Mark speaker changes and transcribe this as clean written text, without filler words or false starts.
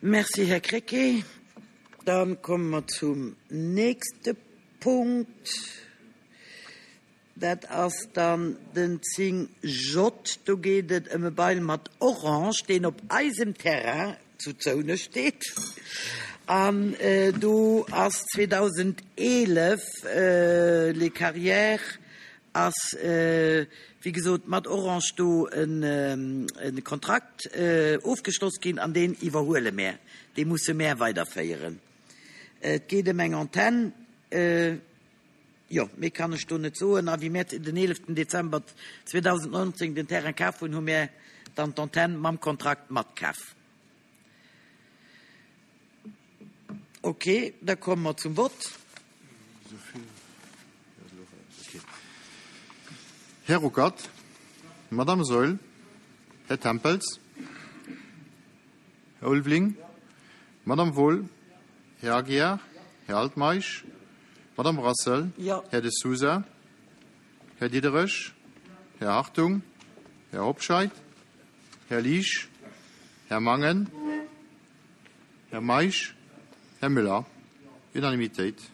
Speaker 1: Merci, Här Krecké. Da komme mer zum nächste Punkt. Dat ass dann den 10 J. Do geet et ëm e Bail mat Orange, deen op eisem Terrain zu Zounesch steet. An do ass 2011 les Carrières ass, wéi gesot, mat Orange do e Kontrakt ofgeschloss ginn an deen iwwerhuele mär, dee musse mär weiderféieren. Et geet ëm eng Antenn. Jo, méi kann ech do net soen. A wéi mär den 11 Dezember 2019 den Terrain kaf hunn, hu mär dann d'Antenn mam Kontrakt matkaf. Ok, da komme mer zum Vott.
Speaker 2: Här Ruckert, Madame Saeul, Här Tempels, Här Ulveling, Madame Wohl, Här Aguiar, Här Altmeisch, Madame Brassel, Här De Sousa, Här Diderich, Här Hartung, Här Hobscheit, Här Liesch, Här Mangen, Här Meisch, Här Müller. Unanimitéit.